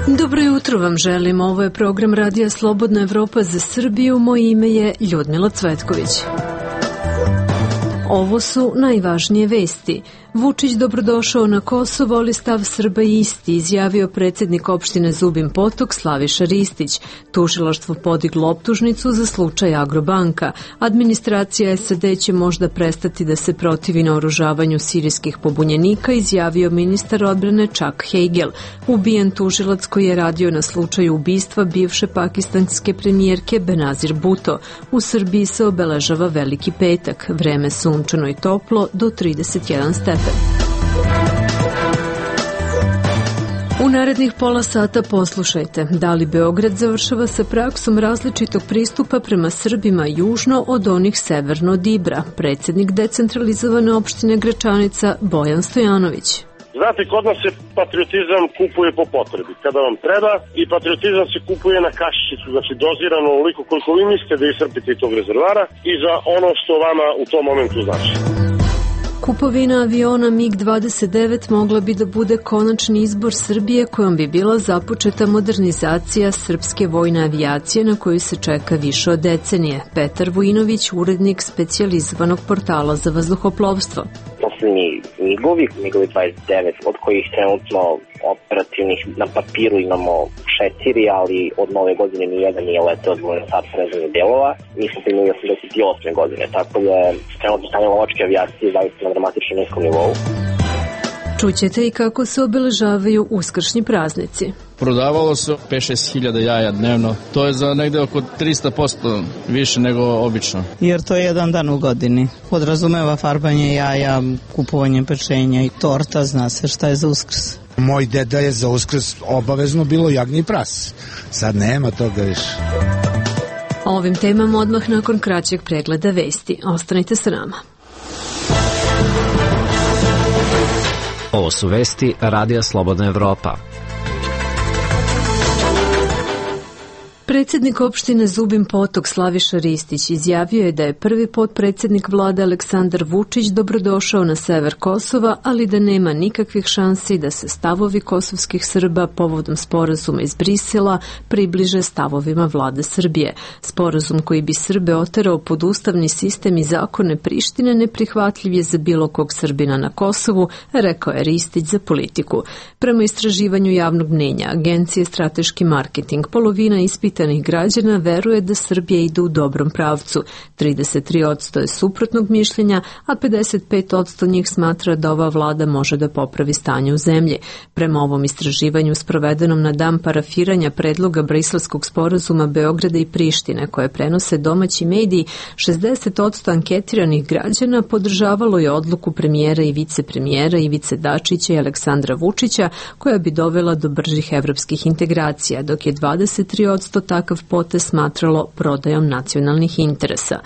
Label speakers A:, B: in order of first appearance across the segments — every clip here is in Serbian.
A: Dobro jutro vam želim. Ovo je program Radija Slobodna Evropa za Srbiju. Moje ime je Ljudmila Cvetković. Ovo su najvažnije vesti. Vučić dobrodošao na Kosovo, ali stav Srba isti, izjavio predsjednik opštine Zubin Potok Slaviša Ristić. Tužilaštvo podiglo optužnicu za slučaj Agrobanka. Administracija SAD će možda prestati da se protivi naoružavanju sirijskih pobunjenika, izjavio ministar odbrane Chuck Hagel. Ubijen tužilac koji je radio na slučaju ubistva bivše pakistanske premijerke Benazir Bhutto. U Srbiji se obeležava Veliki petak. Vreme sunčano i toplo do 31 stepen. U narednih pola sata poslušajte da li Beograd završava sa praksom različitog pristupa prema Srbima južno od onih severno od Ibra. Predsjednik decentralizovane opštine Gračanica Bojan Stojanović.
B: Znate, kod nas se patriotizam kupuje po potrebi, kada vam treba, i patriotizam se kupuje na kašičicu, znači dozirano onoliko koliko vi mislite da iscrpite tog rezervara i za ono što vama u tom momentu znači.
A: Kupovina aviona MiG-29 mogla bi da bude konačni izbor Srbije kojom bi bila započeta modernizacija srpske vojne avijacije na koju se čeka više od decenije. Petar Vujinović, urednik specijalizovanog portala za vazduhoplovstvo.
C: Posljednji MiG-ovi, MiG-ovi 29, od kojih trenutno operativnih na papiru imamo 4, ali od nove godine nijedan nije leteo od Ministarstva rezervnih delova. Mi smo primili 88. godine, tako da je trenutno stanje lovačke avijacije zaista na dramatično niskom nivou.
A: Čućete i kako se obeležavaju uskršnji praznici.
D: Prodavalo se 5-6 hiljada jaja dnevno. To je za negde oko 300% više nego obično.
E: Jer to je jedan dan u godini. Podrazumeva farbanje jaja, kupovanje pečenja i torta, zna se šta je za Uskrs.
F: Moj deda je za Uskrs obavezno bilo jagnji pras. Sad nema toga više.
A: O ovim temama odmah nakon kraćeg pregleda vesti. Ostanite sa nama.
G: Ovo su vesti Radija Slobodna Evropa.
A: Predsjednik opštine Zubin Potok Slaviša Ristić izjavio je da je prvi potpredsjednik vlade Aleksandar Vučić dobrodošao na sever Kosova, ali da nema nikakvih šansi da se stavovi kosovskih Srba povodom sporazuma iz Brisela približe stavovima vlade Srbije. Sporazum koji bi Srbe oterao pod ustavni sistem i zakone Prištine neprihvatljiv je za bilo kog Srbina na Kosovu, rekao je Ristić za Politiku. Prema istraživanju javnog mnjenja Agencije Strateški marketing, polovina ispitanih građana veruje da Srbija ide u dobrom pravcu. 33% je suprotnog mišljenja, a 55% njih smatra da ova vlada može da popravi stanje u zemlji. Prema ovom istraživanju sprovedenom na dan parafiranja predloga briselskog sporazuma Beograda i Prištine, koje prenose domaći mediji, 60% anketiranih građana podržavalo je odluku premijera i vicepremijera Ivice Dačića i Aleksandra Vučića, koja bi dovela do bržih evropskih integracija, dok je 23% takav potez smatralo prodajom nacionalnih interesa.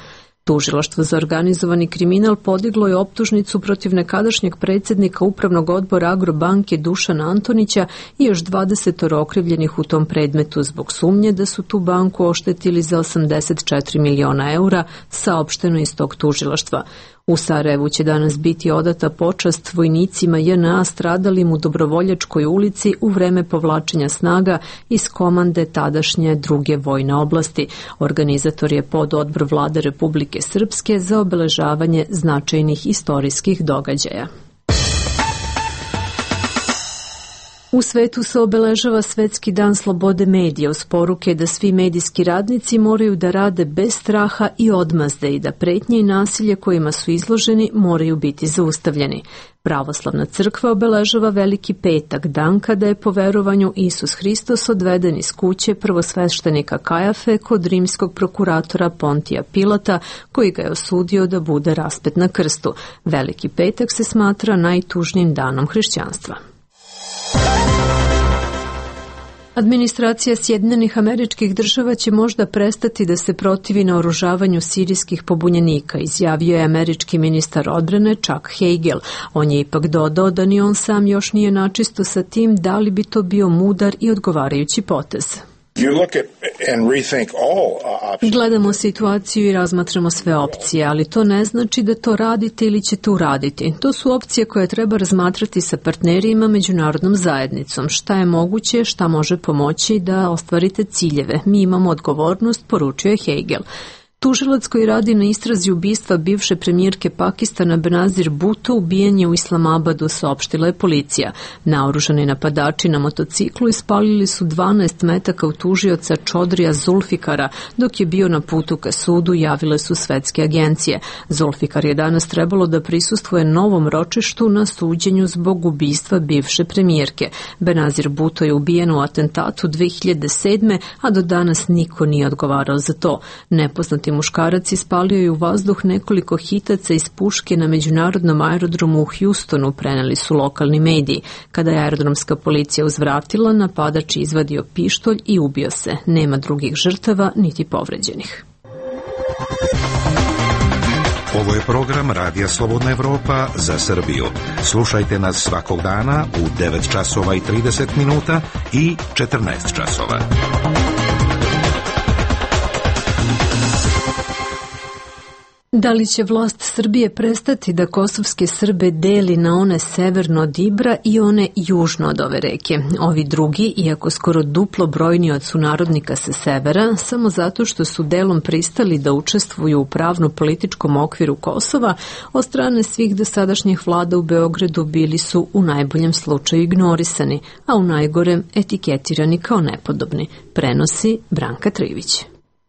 A: Tužilaštvo za organizovani kriminal podiglo je optužnicu protiv nekadašnjeg predsjednika Upravnog odbora Agrobanke Dušana Antonića i još 20 okrivljenih u tom predmetu zbog sumnje da su tu banku oštetili za 84 miliona eura, saopšteno iz tog tužilaštva. U Sarajevu će danas biti odata počast vojnicima JNA stradalim u Dobrovoljačkoj ulici u vreme povlačenja snaga iz komande tadašnje druge vojne oblasti. Organizator je pododbor vlade Republike Srpske za obeležavanje značajnih istorijskih događaja. U svetu se obeležava Svetski dan slobode medija uz poruke da svi medijski radnici moraju da rade bez straha i odmazde i da pretnje i nasilje kojima su izloženi moraju biti zaustavljeni. Pravoslavna crkva obeležava Veliki petak, dan kada je po verovanju Isus Hristos odveden iz kuće prvosveštenika Kajafe kod rimskog prokuratora Pontija Pilata, koji ga je osudio da bude raspet na krstu. Veliki petak se smatra najtužnijim danom hrišćanstva. Administracija Sjedinjenih Američkih Država će možda prestati da se protivi naoružavanju sirijskih pobunjenika, izjavio je američki ministar odbrane Chuck Hagel. On je ipak dodao da ni on sam još nije načisto sa tim da li bi to bio mudar i odgovarajući potez. Gledamo situaciju i razmatramo sve opcije, ali to ne znači da to radite ili ćete uraditi. To su opcije koje treba razmatrati sa partnerima, međunarodnom zajednicom. Šta je moguće, šta može pomoći da ostvarite ciljeve. Mi imamo odgovornost, poručio je Hegel. Tužilac koji radi na istrazi ubistva bivše premijerke Pakistana Benazir Bhutto ubijen je u Islamabadu, saopštila je policija. Naoružani napadači na motociklu ispalili su 12 metaka u tužioca Čodrija Zulfikara dok je bio na putu ka sudu, javile su svetske agencije. Zulfikar je danas trebalo da prisustvuje novom ročištu na suđenju zbog ubistva bivše premijerke. Benazir Bhutto je ubijen u atentatu 2007. a do danas niko nije odgovarao za to. Nepoznati muškarac ispalio je u vazduh nekoliko hitaca iz puške na međunarodnom aerodromu u Houstonu, preneli su lokalni mediji. Kada je aerodromska policija uzvratila, napadač izvadio pištolj i ubio se. Nema drugih žrtava niti povređenih.
H: Ovo je program Radija Slobodna Evropa za Srbiju. Slušajte nas svakog dana u 9 časova i 30 minuta i 14 časova.
A: Da li će vlast Srbije prestati da kosovske Srbe deli na one severno od Ibra i one južno od ove reke? Ovi drugi, iako skoro duplo brojni od sunarodnika sa severa, samo zato što su delom pristali da učestvuju u pravno-političkom okviru Kosova, od strane svih dosadašnjih vlada u Beogradu bili su u najboljem slučaju ignorisani, a u najgorem etiketirani kao nepodobni, prenosi Branka Trivić.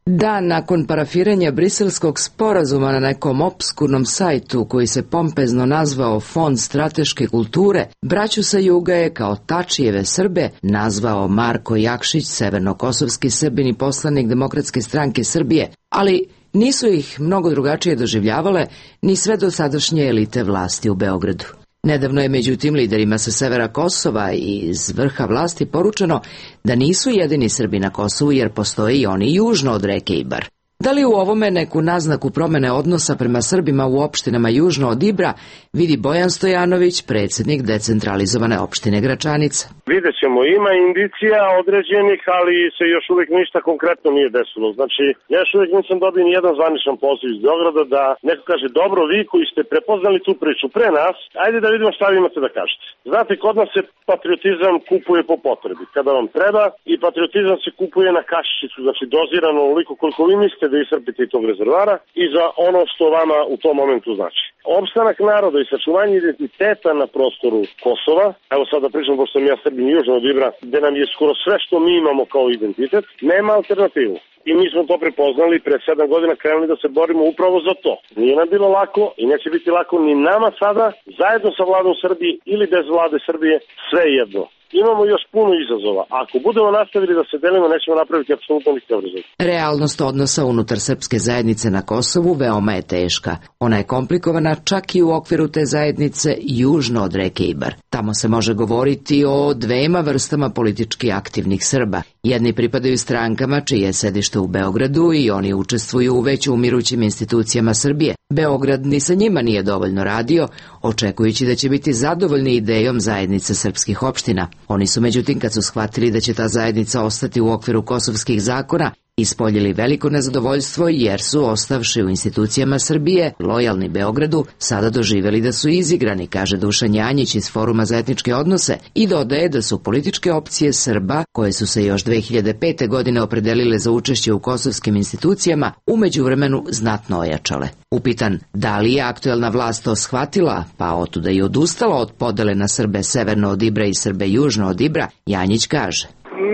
I: Dan nakon parafiranja briselskog sporazuma na nekom opskurnom sajtu koji se pompezno nazvao Fond strateške kulture, braću sa juga je kao Tačijeve Srbe nazvao Marko Jakšić, severnokosovski Srbin i poslanik Demokratske stranke Srbije, ali nisu ih mnogo drugačije doživljavale ni sve dosadašnje elite vlasti u Beogradu. Nedavno je međutim liderima sa severa Kosova i iz vrha vlasti poručeno da nisu jedini Srbi na Kosovu jer postoje i oni južno od reke Ibar. Da li u ovome neku naznaku promene odnosa prema Srbima u opštinama južno od Ibra vidi Bojan Stojanović, predsjednik decentralizovane opštine Gračanica?
B: Vidjet ćemo, ima indicija određenih, ali se još uvijek ništa konkretno nije desilo. Znači, ja još uvijek nisam dobio ni jedan zvaničan poziv iz Beograda da neko kaže, dobro, vi koji ste prepoznali tu priču pre nas, ajde da vidimo šta vi imate da kažete. Znate, kod nas se patriotizam kupuje po potrebi, kada vam treba, i patriotizam se kupuje na kašičicu, znači dozirano onoliko koliko vi mislite da iscrpite tog rezervara i za ono što vama u tom momentu znači. Opstanak naroda i sačuvanje identiteta na prostoru Kosova, evo sad da pričam, pošto sam ja Srbin južno od Ibra, gde nam je skoro sve što mi imamo kao identitet, nema alternativu. I mi smo to prepoznali i pre 7 godina krenuli da se borimo upravo za to. Nije nam bilo lako i neće biti lako ni nama sada, zajedno sa vladom Srbije ili bez vlade Srbije, sve jedno. Imamo još puno izazova. Ako budemo nastavili da se delimo, nećemo napraviti apsolutno nikakav rezultat.
I: Realnost odnosa unutar srpske zajednice na Kosovu veoma je teška. Ona je komplikovana čak i u okviru te zajednice južno od reke Ibar. Tamo se može govoriti o dvema vrstama politički aktivnih Srba. Jedni pripadaju strankama čije je sedište u Beogradu i oni učestvuju u već umirućim institucijama Srbije. Beograd ni sa njima nije dovoljno radio, očekujući da će biti zadovoljni idejom zajednice srpskih opština. Oni su međutim, kad su shvatili da će ta zajednica ostati u okviru kosovskih zakona, ispoljili veliko nezadovoljstvo jer su, ostavši u institucijama Srbije, lojalni Beogradu, sada doživjeli da su izigrani, kaže Dušan Janjić iz Foruma za etničke odnose, i dodaje da su političke opcije Srba, koje su se još 2005. godine opredelile za učešće u kosovskim institucijama, u međuvremenu znatno ojačale. Upitan da li je aktuelna vlast to shvatila, pa otuda i odustala od podele na Srbe severno od Ibra i Srbe južno od Ibra, Janjić kaže: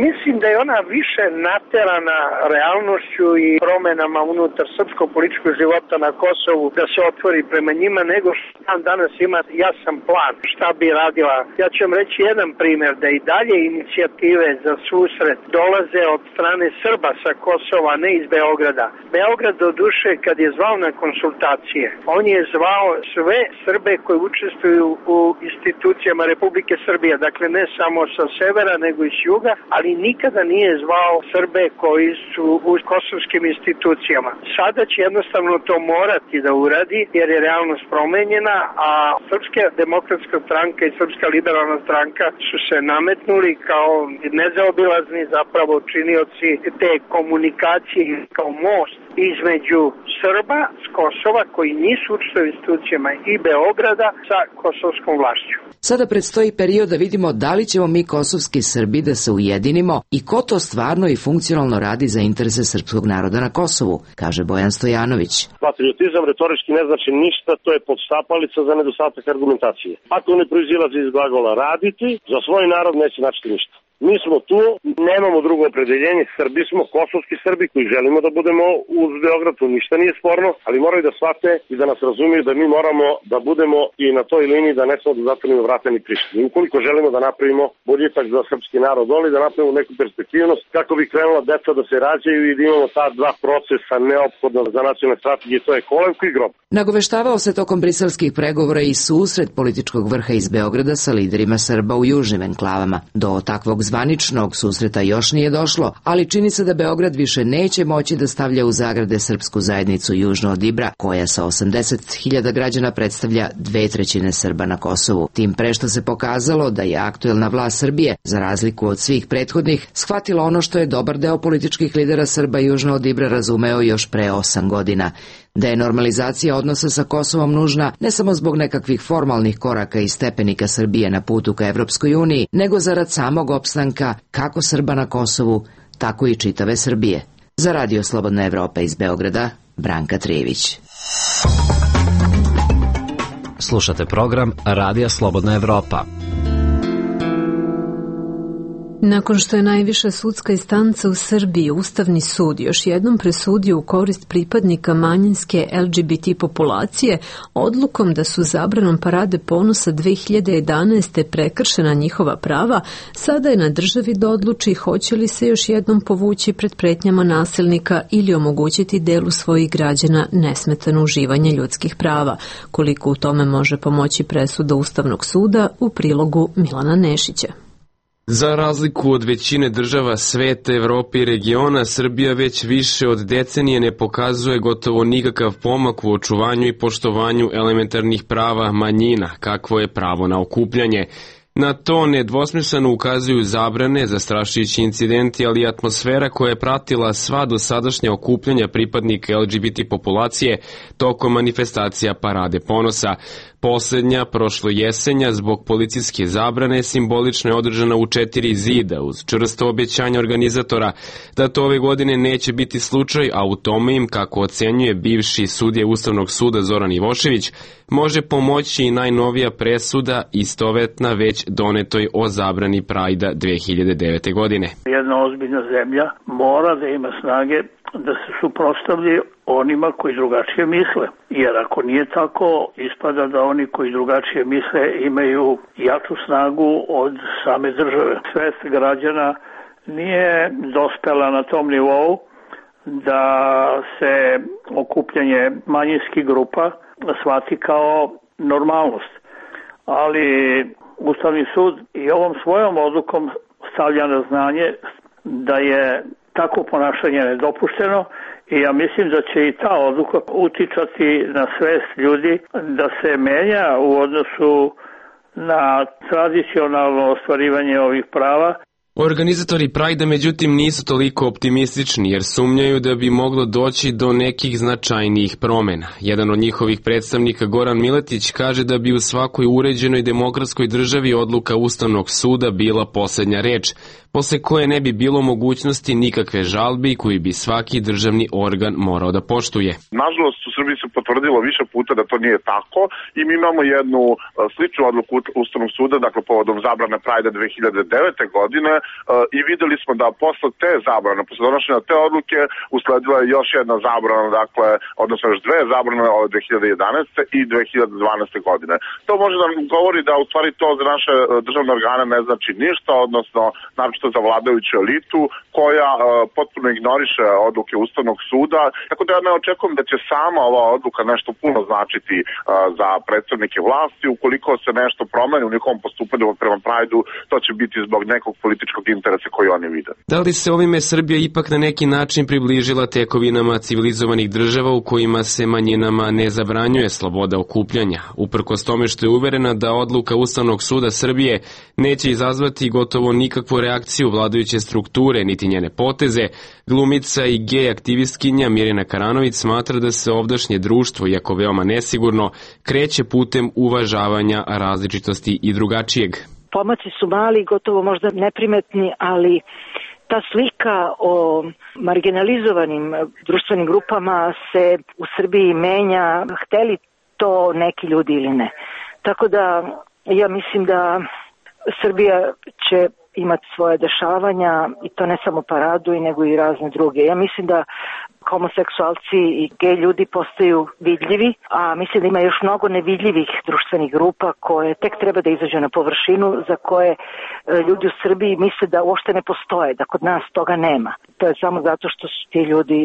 J: Mislim da je ona više naterana realnošću i promenama unutar srpskog političkog života na Kosovu da se otvori prema njima, nego što danas ima jasan plan šta bi radila. Ja ću vam reći jedan primjer, da i dalje inicijative za susret dolaze od strane Srba sa Kosova, ne iz Beograda. Beograd do duše kad je zvao na konsultacije, on je zvao sve Srbe koji učestvuju u institucijama Republike Srbije, dakle ne samo sa severa nego i s juga, ali nikada nije zvao Srbe koji su u kosovskim institucijama. Sada će jednostavno to morati da uradi jer je realnost promenjena, a Srpska demokratska stranka i Srpska liberalna stranka su se nametnuli kao nezaobilazni zapravo činioci te komunikacije kao most između Srba s Kosova koji nisu učestvovali u institucijama i Beograda sa kosovskom vlašću.
I: Sada predstoji period da vidimo da li ćemo mi kosovski Srbi da se ujedinimo i ko to stvarno i funkcionalno radi za interese srpskog naroda na Kosovu, kaže Bojan Stojanović.
B: Patriotizam retorički ne znači ništa, to je podštapalica za nedostatak argumentacije. Ako ne proizilazi iz glagola raditi, za svoj narod neće značiti ništa. Mi smo tu, nemamo drugo opredeljenje, Srbi smo, kosovski Srbi koji želimo da budemo uz Beograd, tu ništa nije sporno, ali moraju da shvate i da nas razumiju da mi moramo da budemo i na toj liniji da ne samo da zatvorimo vrata ni Prištini. Ukoliko želimo da napravimo boljitak za srpski narod doli, da napravimo neku perspektivnost kako bi krenula deca da se rađaju i da imamo ta dva procesa neophodna za nacionalne strategije, to je kolenko i grob.
I: Nagoveštavao se tokom briselskih pregovora i susret političkog vrha iz Beograda sa liderima Srba u južnim enklavama. Do takvog zvaničnog susreta još nije došlo, ali čini se da Beograd više neće moći da stavlja u zagrade srpsku zajednicu južno od Ibra, koja sa 80.000 građana predstavlja 2/3 Srba na Kosovu. Tim pre što se pokazalo da je aktuelna vlast Srbije, za razliku od svih prethodnih, shvatila ono što je dobar deo političkih lidera Srba južno od Ibra razumeo još pre 8 godina. Da je normalizacija odnosa sa Kosovom nužna ne samo zbog nekakvih formalnih koraka i stepenika Srbije na putu ka Evropskoj uniji, nego zarad samog opstanka kako Srba na Kosovu, tako i čitave Srbije. Za Radio Slobodna Evropa iz Beograda, Branka Trijević.
G: Slušate program Radija Slobodna Evropa.
A: Nakon što je najviša sudska instanca u Srbiji, Ustavni sud, još jednom presudio u korist pripadnika manjinske LGBT populacije odlukom da su zabranom Parade ponosa 2011. prekršena njihova prava, sada je na državi da odluči hoće li se još jednom povući pred pretnjama nasilnika ili omogućiti delu svojih građana nesmetano uživanje ljudskih prava. Koliko u tome može pomoći presuda Ustavnog suda u prilogu Milana Nešića.
K: Za razliku od većine država sveta, Evrope i regiona, Srbija već više od decenije ne pokazuje gotovo nikakav pomak u očuvanju i poštovanju elementarnih prava manjina, kakvo je pravo na okupljanje. Na to nedvosmisleno ukazuju zabrane, zastrašujući incidenti, ali i atmosfera koja je pratila sva dosadašnja okupljanja pripadnika LGBT populacije tokom manifestacija Parade ponosa. Poslednja, prošlo jesenja, zbog policijske zabrane, simbolično je održana u 4 zida, uz čvrsto obećanje organizatora da to ove godine neće biti slučaj, a u tome im, kako ocenjuje bivši sudija Ustavnog suda Zoran Ivošević, može pomoći i najnovija presuda istovetna već donetoj o zabrani Prajda 2009. godine.
L: Jedna ozbiljna zemlja mora da ima snage da se suprotstavlja onima koji drugačije misle. Jer ako nije tako, ispada da oni koji drugačije misle imaju jaču snagu od same države. Svest građana nije dospela na tom nivou da se okupljanje manjinskih grupa shvati kao normalnost. Ali Ustavni sud i ovom svojom odlukom stavlja na znanje da je tako ponašanje nedopušteno i ja mislim da će i ta odluka uticati na svest ljudi da se menja u odnosu na tradicionalno ostvarivanje ovih prava.
K: Organizatori Prajda međutim nisu toliko optimistični jer sumnjaju da bi moglo doći do nekih značajnijih promena. Jedan od njihovih predstavnika, Goran Miletić, kaže da bi u svakoj uređenoj demokratskoj državi odluka Ustavnog suda bila poslednja reč, posle koje ne bi bilo mogućnosti nikakve žalbe koji bi svaki državni organ morao da poštuje.
M: Nažalost, u Srbiji se potvrdilo više puta da to nije tako i mi imamo jednu sličnu odluku Ustavnog suda, dakle povodom zabrane Prajda 2009. godine i videli smo da posle te zabrane, posle donošenja te odluke, usledila je još jedna zabrana, dakle, odnosno još dve zabrane od 2011. i 2012. godine. To može da govori da u stvari to za naše državne organe ne znači ništa, odnosno naročito za vladajuću elitu koja potpuno ignoriše odluke Ustavnog suda, tako da ja ne očekujem da će sama ova odluka nešto puno značiti za predstavnike vlasti. Ukoliko se nešto promeni u njihovom postupanju prema Prajdu, to će biti zbog nekog političkog strateškog interesa koji oni vide.
K: Da li se ovime Srbija ipak na neki način približila tekovinama civilizovanih država u kojima se manjinama ne zabranjuje sloboda okupljanja, uprkos tome što je uverena da odluka Ustavnog suda Srbije neće izazvati gotovo nikakvu reakciju vladajuće strukture niti njene poteze, glumica i gej aktivistkinja Mirjana Karanović smatra da se ovdašnje društvo, iako veoma nesigurno, kreće putem uvažavanja različitosti i drugačijeg.
N: Pomaci su mali, gotovo možda neprimetni, ali ta slika o marginalizovanim društvenim grupama se u Srbiji menja, hteli to neki ljudi ili ne. Tako da ja mislim da Srbija će imati svoje dešavanja i to ne samo paradu nego i razne druge. Ja mislim da homoseksualci i gej ljudi postaju vidljivi, a mislim da ima još mnogo nevidljivih društvenih grupa koje tek treba da izađu na površinu, za koje ljudi u Srbiji misle da uopšte ne postoje, da kod nas toga nema. To je samo zato što su ti ljudi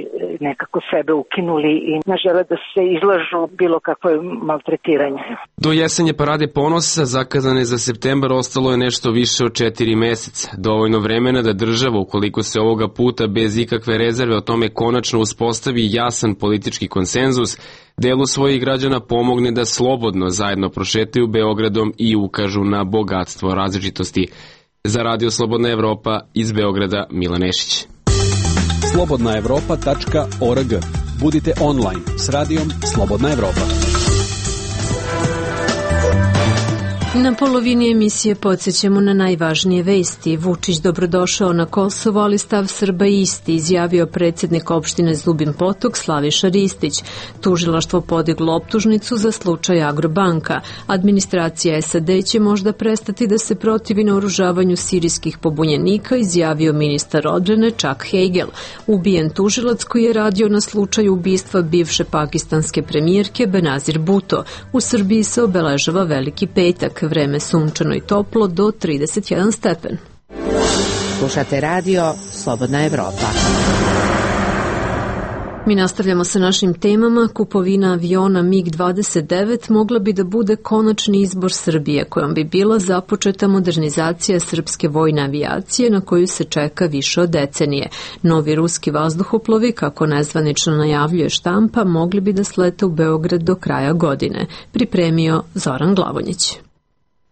N: nekako sebe ukinuli i ne žele da se izlažu bilo kakvo maltretiranje.
K: Do jesenje parade ponosa, zakazane za septembar, ostalo je nešto više od 4 meseca. Dovoljno vremena da država, ukoliko se ovoga puta bez ikakve rezerve o tome konačno uspostavi jasan politički konsenzus, delu svojih građana pomogne da slobodno zajedno prošetaju Beogradom i ukažu na bogatstvo različitosti. Za Radio Slobodna Evropa iz Beograda, Milan Nešić.
O: slobodnaevropa.org. Budite online s radijom Slobodna Evropa.
A: Na polovini emisije podsjećamo na najvažnije vesti. Vučić dobrodošao na Kosovo, ali stav Srba isti, izjavio predsjednik opštine Zubin Potok Slaviša Ristić. Tužilaštvo podiglo optužnicu za slučaj Agrobanka. Administracija SAD će možda prestati da se protivi naoružavanju sirijskih pobunjenika, izjavio ministar odbrane Chuck Hagel. Ubijen tužilac koji je radio na slučaju ubistva bivše pakistanske premijerke Benazir Bhutto. U Srbiji se obeležava Veliki petak. Vreme sunčano i toplo do 31 stepen.
I: Slušate radio Slobodna Evropa.
A: Mi nastavljamo sa našim temama. Kupovina aviona MiG-29 mogla bi da bude konačni izbor Srbije, kojom bi bila započeta modernizacija srpske vojne avijacije na koju se čeka više od decenije. Novi ruski vazduhoplovi, kako nezvanično najavljuje štampa, mogli bi da slete u Beograd do kraja godine. Pripremio Zoran Glavonjić.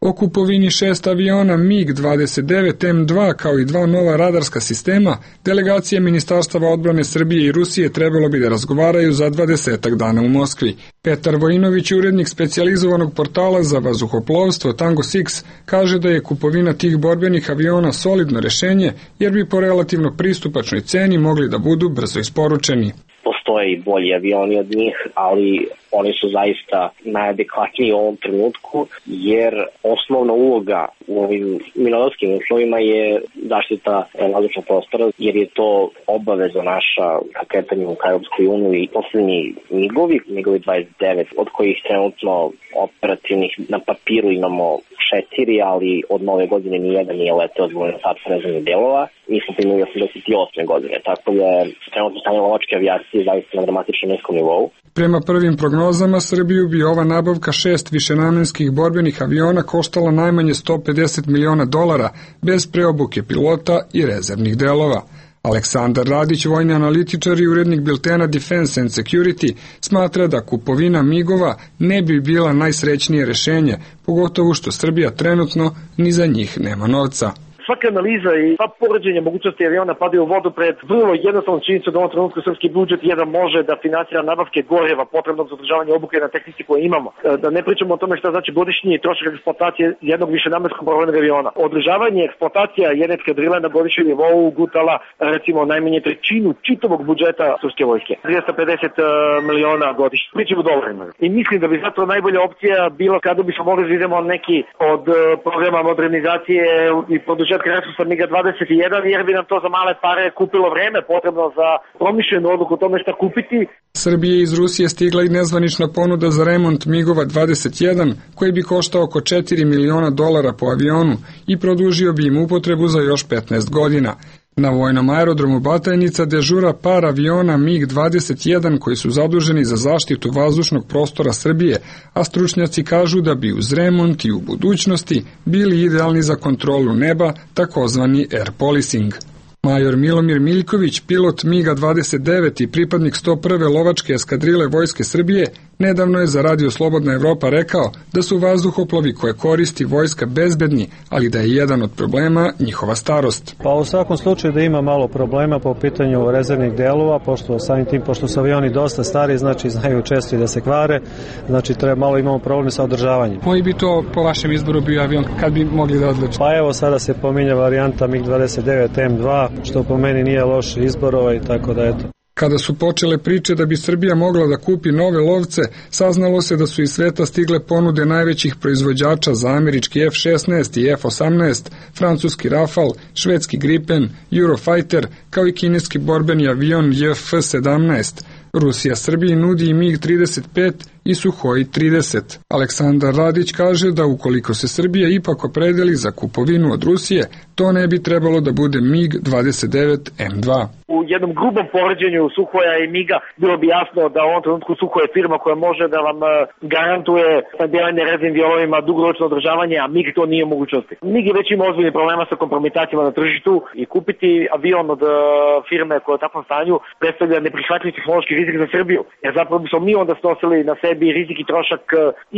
P: O kupovini 6 aviona MiG-29M2 kao i 2 nova radarska sistema, delegacije Ministarstava odbrane Srbije i Rusije trebalo bi da razgovaraju za 20 dana u Moskvi. Petar Vojinović, urednik specijalizovanog portala za vazduhoplovstvo Tango 6, kaže da je kupovina tih borbenih aviona solidno rešenje, jer bi po relativno pristupačnoj ceni mogli da budu brzo isporučeni.
C: Postoje i bolji avioni od njih, ali oni su zaista najadekvatniji u ovom trenutku, jer osnovna uloga u ovim mirnodopskim uslovima je zaštita vazdušnog prostora, jer je to obaveza naša ka kretanju ka Europskoj uniji. I poslednji MiG-ovi 29, od kojih trenutno operativnih na papiru imamo 4, ali od nove godine nijedan nije leteo zbog nedostatka rezervnih delova. Mi smo primili 88. godine, tako da je trenutno stanje lovačke avijacije zaista na dramatično niskom nivou.
P: Prema prvim prognozama, Srbiju bi ova nabavka 6 višenamenskih borbenih aviona koštala najmanje $150 miliona bez preobuke pilota i rezervnih delova. Aleksandar Radić, vojni analitičar i urednik biltena Defense and Security, smatra da kupovina MiG-ova ne bi bila najsrećnije rešenje, pogotovo što Srbija trenutno ni za njih nema novca.
Q: Svaka analiza i sva poređenja mogućnosti aviona padaju u vodu pred vrlo jednostavnom činjenicom da u ovom trenutku srpski budžet jedan može da finansira nabavke goriva potrebnog za održavanje obuke na tehnici koje imamo. Da ne pričamo o tome šta znači godišnji trošak eksploatacije jednog višenamenskog borbenog aviona. Održavanje eksploatacija jedne eskadrile na godišnjem nivou gutala recimo najmanje trećinu čitavog budžeta srpske vojske. 250 miliona godišnje. Pričamo u dolarima. I mislim da bi zato najbolja opcija bila kada bismo mogli da idemo neki od programa modernizacije i produžetka resursa MiG-21, jer bi nam to za male pare kupilo vreme potrebno za promišljenu odluku o tome šta kupiti.
P: Srbije iz Rusije stigla i nezvanična ponuda za remont MiG-ova 21, koji bi koštao oko $4 miliona po avionu i produžio bi im upotrebu za još 15 godina. Na vojnom aerodromu Batajnica dežura par aviona MiG-21 koji su zaduženi za zaštitu vazdušnog prostora Srbije, a stručnjaci kažu da bi uz remont i u budućnosti bili idealni za kontrolu neba, takozvani air policing. Major Milomir Miljković, pilot MiG-29 i pripadnik 101. lovačke eskadrile Vojske Srbije, nedavno je za Radio Slobodna Evropa rekao da su vazduhoplovi koje koristi vojska bezbedni, ali da je jedan od problema njihova starost.
R: Pa u svakom slučaju da ima malo problema po pitanju rezervnih delova, pošto su avioni dosta stari, znači znaju često i da se kvare, znači malo imamo problem sa održavanjem.
P: Koji bi to po vašem izboru bio avion, kad bi mogli da odlučite?
R: Pa evo sada se pominja varijanta MiG-29 M2, što po meni nije loš izbor, tako da eto.
P: Kada su počele priče da bi Srbija mogla da kupi nove lovce, saznalo se da su iz sveta stigle ponude najvećih proizvođača za američki F-16 i F-18, francuski Rafale, švedski Gripen, Eurofighter, kao i kineski borbeni avion JF-17. Rusija Srbiji nudi i MiG-35 i Suhoi 30. Aleksandar Radić kaže da ukoliko se Srbija ipak opredeli za kupovinu od Rusije, to ne bi trebalo da bude MiG-29 M2.
Q: U jednom grubom poređenju Suhoja i MiG-a bilo bi jasno da u ovom trenutku Suhoj je firma koja može da vam garantuje snabdevanje rezervnim dijelovima, dugoročno održavanje, a MiG to nije mogućnosti. MiG je već ima ozbiljnih problema sa kompromitacijama na tržištu i kupiti avion od firme koja je u takvom stanju predstavlja neprihvatljiv tehnološki rizik za Srbiju. Jer zapravo bismo mi onda snosili na sebi rizik i trošak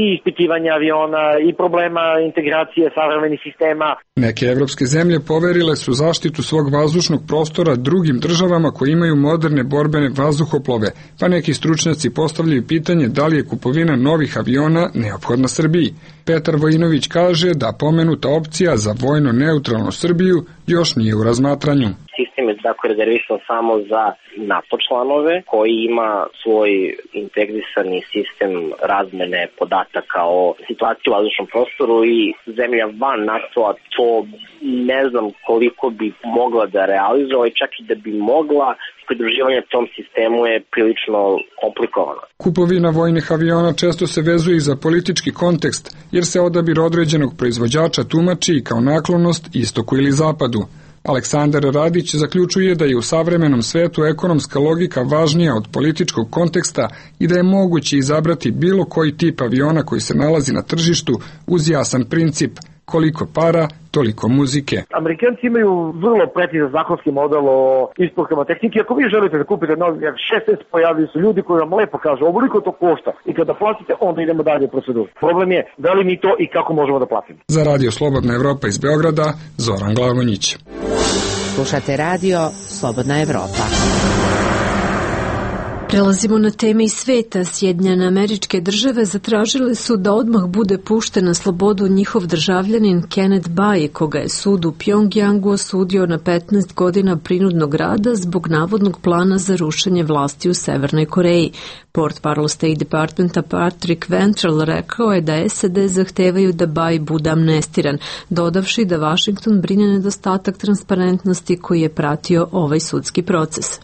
Q: i ispitivanja aviona i problema integracije savremenih sistema.
P: Neke evropske zemlje poverile su zaštitu svog vazdušnog prostora drugim državama koji imaju moderne borbene vazduhoplove, pa neki stručnjaci postavljaju pitanje da li je kupovina novih aviona neophodna Srbiji. Petar Vojinović kaže da pomenuta opcija za vojno neutralnu Srbiju još nije u razmatranju.
C: Sistem je dakle rezervisan samo za NATO članove koji ima svoj integrisani sistem razmene podataka o situaciji u vazdušnom prostoru i zemlja van NATO-a to ne znam koliko bi mogla da realizuje, čak i da bi mogla, pridruživanje tom sistemu je prilično komplikovano.
P: Kupovina vojnih aviona često se vezuje i za politički kontekst, jer se odabir određenog proizvođača tumači kao naklonost istoku ili zapadu. Aleksandar Radić zaključuje da je u savremenom svetu ekonomska logika važnija od političkog konteksta i da je moguće izabrati bilo koji tip aviona koji se nalazi na tržištu uz jasan princip koliko para, toliko muzike.
Q: Amerikanci imaju vrlo precizan zakonski model o isporukama tehnike. Ako vi želite da kupite novi F-16, pojavili su ljudi koji vam lepo kažu ovoliko to košta i kada platite, onda idemo dalje u proceduru. Problem je da li mi to i kako možemo da platimo.
P: Za Radio Slobodna Evropa iz Beograda, Zoran Glavonjić.
I: Slušate radio Slobodna Evropa.
A: Prelazimo na teme iz sveta. Sjedinjene Američke Države zatražile su da odmah bude pušten na slobodu njihov državljanin Kenneth Bae, koga je sud u Pjongjangu osudio na 15 godina prinudnog rada zbog navodnog plana za rušenje vlasti u Severnoj Koreji. Portparol State Departmenta Patrick Ventrell rekao je da SAD zahtevaju da Bae bude amnestiran, dodavši da Washington brine nedostatak transparentnosti koji je pratio ovaj sudski proces.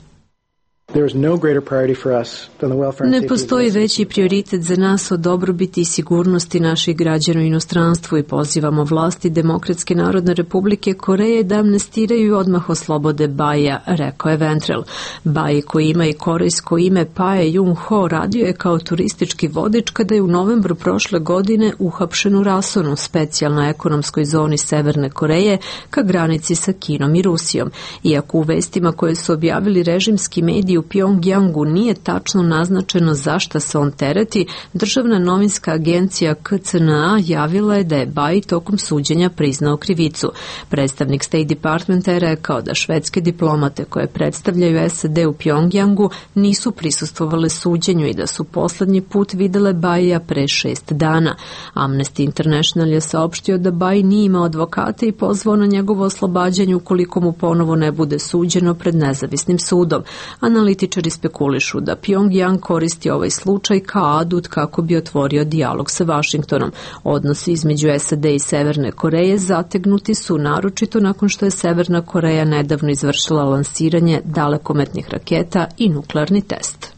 A: Ne postoji veći prioritet za nas od dobrobiti i sigurnosti naših građana u inostranstvu i pozivamo vlasti Demokratske narodne republike Koreje da amnestiraju odmah oslobode Baea, rekao je Ventrell. Bae, koji ima i korejsko ime Pae Jung-ho, radio je kao turistički vodič kada je u novembru prošle godine uhapšen u Rasonu, specijalnoj ekonomskoj zoni Severne Koreje, ka granici sa Kinom i Rusijom. Iako u vestima koje su objavili režimski mediji u Pjongjangu nije tačno naznačeno za šta se on tereti, državna novinska agencija KCNA javila je da je Bae tokom suđenja priznao krivicu. Predstavnik State Departmenta je rekao da švedske diplomate koje predstavljaju SAD u Pjongjangu nisu prisustvovale suđenju i da su poslednji put videle Baea pre 6 dana. Amnesty International je saopštio da Bae nije imao advokata i pozvao na njegovo oslobađanje ukoliko mu ponovo ne bude suđeno pred nezavisnim sudom. Analitičari spekulišu da Pjongjang koristi ovaj slučaj kao adut kako bi otvorio dijalog sa Vašingtonom. Odnosi između SAD i Severne Koreje zategnuti su naročito nakon što je Severna Koreja nedavno izvršila lansiranje dalekometnih raketa i nuklearni test.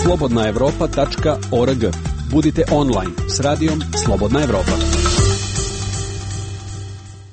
O: slobodnaevropa.org. Budite online s radijom Slobodna Evropa.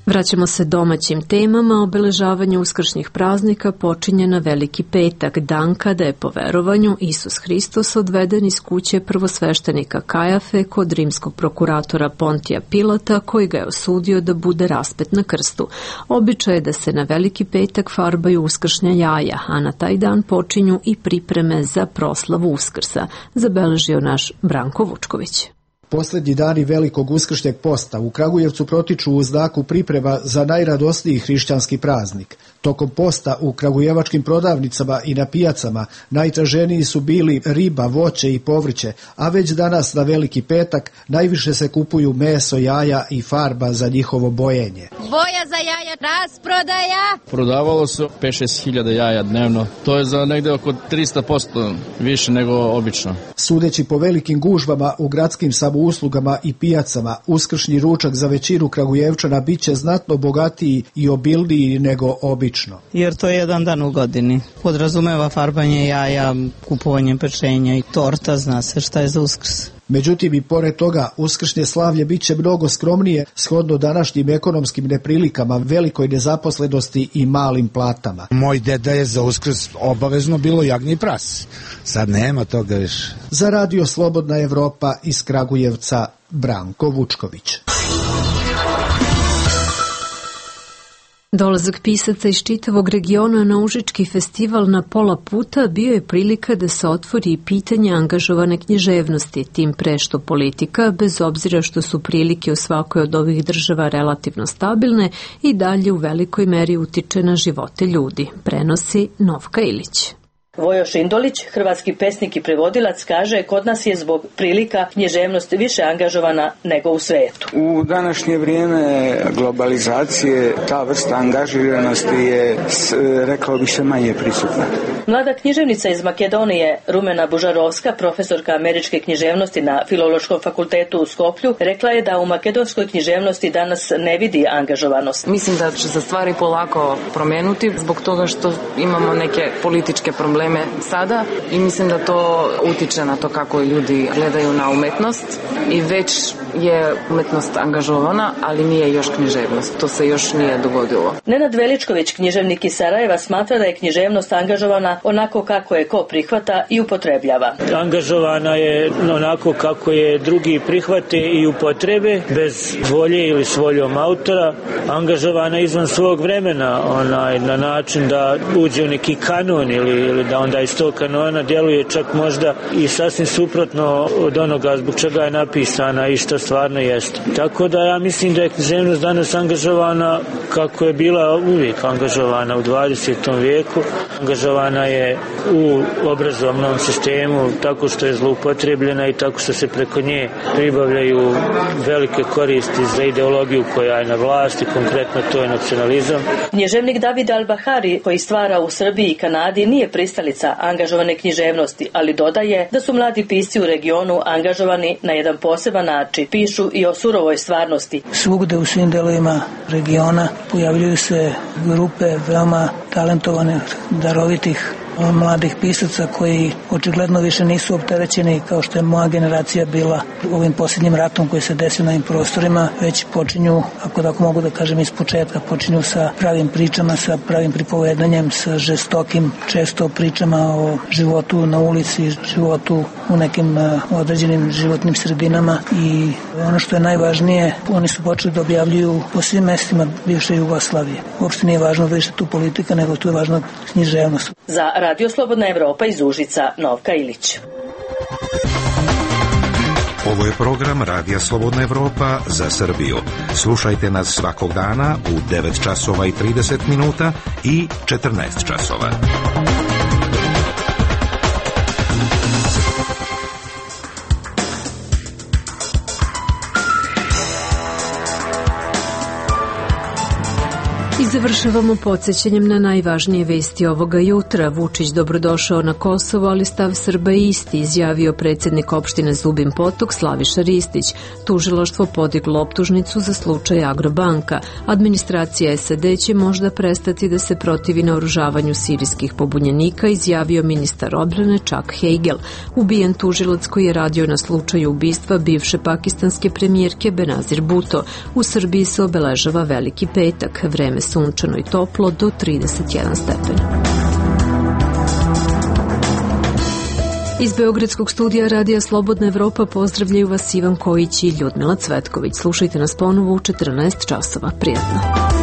A: Vraćamo se domaćim temama. Obeležavanje uskršnjih praznika počinje na Veliki petak, dan kada je po verovanju Isus Hristos odveden iz kuće prvosveštenika Kajafe kod rimskog prokuratora Pontija Pilata, koji ga je osudio da bude raspet na krstu. Običaj je da se na Veliki petak farbaju uskršnja jaja, a na taj dan počinju i pripreme za proslavu Uskrsa, zabeležio naš Branko Vučković.
S: Poslednji dani velikog uskršnjeg posta u Kragujevcu protiču u znaku priprema za najradosniji hrišćanski praznik. Tokom posta u kragujevačkim prodavnicama i na pijacama najtraženiji su bili riba, voće i povrće, a već danas na Veliki petak najviše se kupuju meso, jaja i farba za njihovo bojenje.
T: Boja za jaja, rasprodaja!
D: Prodavalo se 5-6 hiljada jaja dnevno. To je za negde oko 300% više nego obično.
S: Sudeći po velikim gužvama u gradskim samouslugama i pijacama, uskršnji ručak za većinu Kragujevčana biće znatno bogatiji i obilniji nego obično.
E: Jer to je jedan dan u godini. Podrazumeva farbanje jaja, kupovanje pečenja i torta, zna se šta je za Uskrs.
S: Međutim, i pored toga, uskršnje slavlje biće mnogo skromnije shodno današnjim ekonomskim neprilikama, velikoj nezaposlenosti i malim platama.
F: Moj deda je za Uskrs obavezno bilo jagnje i prase. Sad nema toga više.
S: Za Radio Slobodna Evropa iz Kragujevca, Branko Vučković.
A: Dolazak pisaca iz čitavog regiona na Užički festival na pola puta bio je prilika da se otvori pitanje angažovane književnosti, tim pre što politika, bez obzira što su prilike u svakoj od ovih država relativno stabilne, i dalje u velikoj meri utiče na živote ljudi, prenosi Novka Ilić.
U: Vojo Šindolić, hrvatski pesnik i prevodilac, kaže kod nas je zbog prilika književnost više angažovana nego u svetu.
V: U današnje vrijeme globalizacije ta vrsta angažiranosti je, rekao bih se, manje prisutna.
U: Mlada književnica iz Makedonije, Rumena Bužarovska, profesorka američke književnosti na Filološkom fakultetu u Skoplju, rekla je da u makedonskoj književnosti danas ne vidi angažovanost.
W: Mislim da će se stvari polako promenuti zbog toga što imamo neke političke probleme sada i mislim da to utiče na to kako ljudi gledaju na umetnost i već je umetnost angažovana, ali nije još književnost. To se još nije dogodilo.
U: Nenad Veličković, književnik iz Sarajeva, smatra da je književnost angažovana onako kako je ko prihvata i upotrebljava.
X: Angažovana je onako kako je drugi prihvate i upotrebe, bez volje ili s voljom autora. Angažovana izvan svog vremena, na način da uđe u neki kanon ili da onda iz tog kanona djeluje čak možda i sasvim suprotno od onoga zbog čega je napisana i što stvarno jeste. Tako da ja mislim da je književnost danas angažovana kako je bila uvijek angažovana u 20. vijeku. Angažovana je u obrazovnom sistemu tako što je zloupotrebljena i tako što se preko nje pribavljaju velike koristi za ideologiju koja je na vlasti, konkretno to je nacionalizam.
U: Književnik David Al-Bahari, koji stvara u Srbiji i Kanadi, nije pristalica angažovane književnosti, ali dodaje da su mladi pisci u regionu angažovani na jedan poseban način. Pišu i o surovoj stvarnosti.
Y: Svugde u svim delovima regiona pojavljuju se grupe veoma talentovanih, darovitih mladih pisaca koji očigledno više nisu opterećeni kao što je moja generacija bila ovim posljednjim ratom koji se desio na ovim prostorima, već počinju, ako mogu da kažem iz početka, počinju sa pravim pričama, sa pravim pripovedanjem, sa žestokim često pričama o životu na ulici, životu u nekim određenim životnim sredinama i ono što je najvažnije, oni su počeli da objavljuju po svim mestima bivše Jugoslavije. Uopšte nije važno više tu politika, nego tu je važna književnost.
U: Za Radio Slobodna Evropa iz Užica, Novka Ilić.
H: Ovo je program Radija Slobodna Evropa za Srbiju. Slušajte nas svakog dana u 9 časova i 30 minuta i 14 časova.
A: Iz Završavamo podsjećanjem na najvažnije vesti ovoga jutra. Vučić dobrodošao na Kosovo, ali stav Srba je isti, izjavio predsjednik opštine Zubin Potok Slaviša Ristić. Tužilaštvo podiglo optužnicu za slučaj Agrobanka. Administracija SAD će možda prestati da se protivi naoružavanju sirijskih pobunjenika, izjavio ministar odbrane Chuck Hagel. Ubijen tužilac koji je radio na slučaju ubistva bivše pakistanske premijerke Benazir Bhutto. U Srbiji se obeležava Veliki petak. Vreme sunčano i toplo do 31 stepen. Iz Beogradskog studija Radija Slobodna Evropa pozdravljaju vas Ivan Kojić i Ljudmila Cvetković. Slušajte nas ponovo u 14 časova. Prijatno.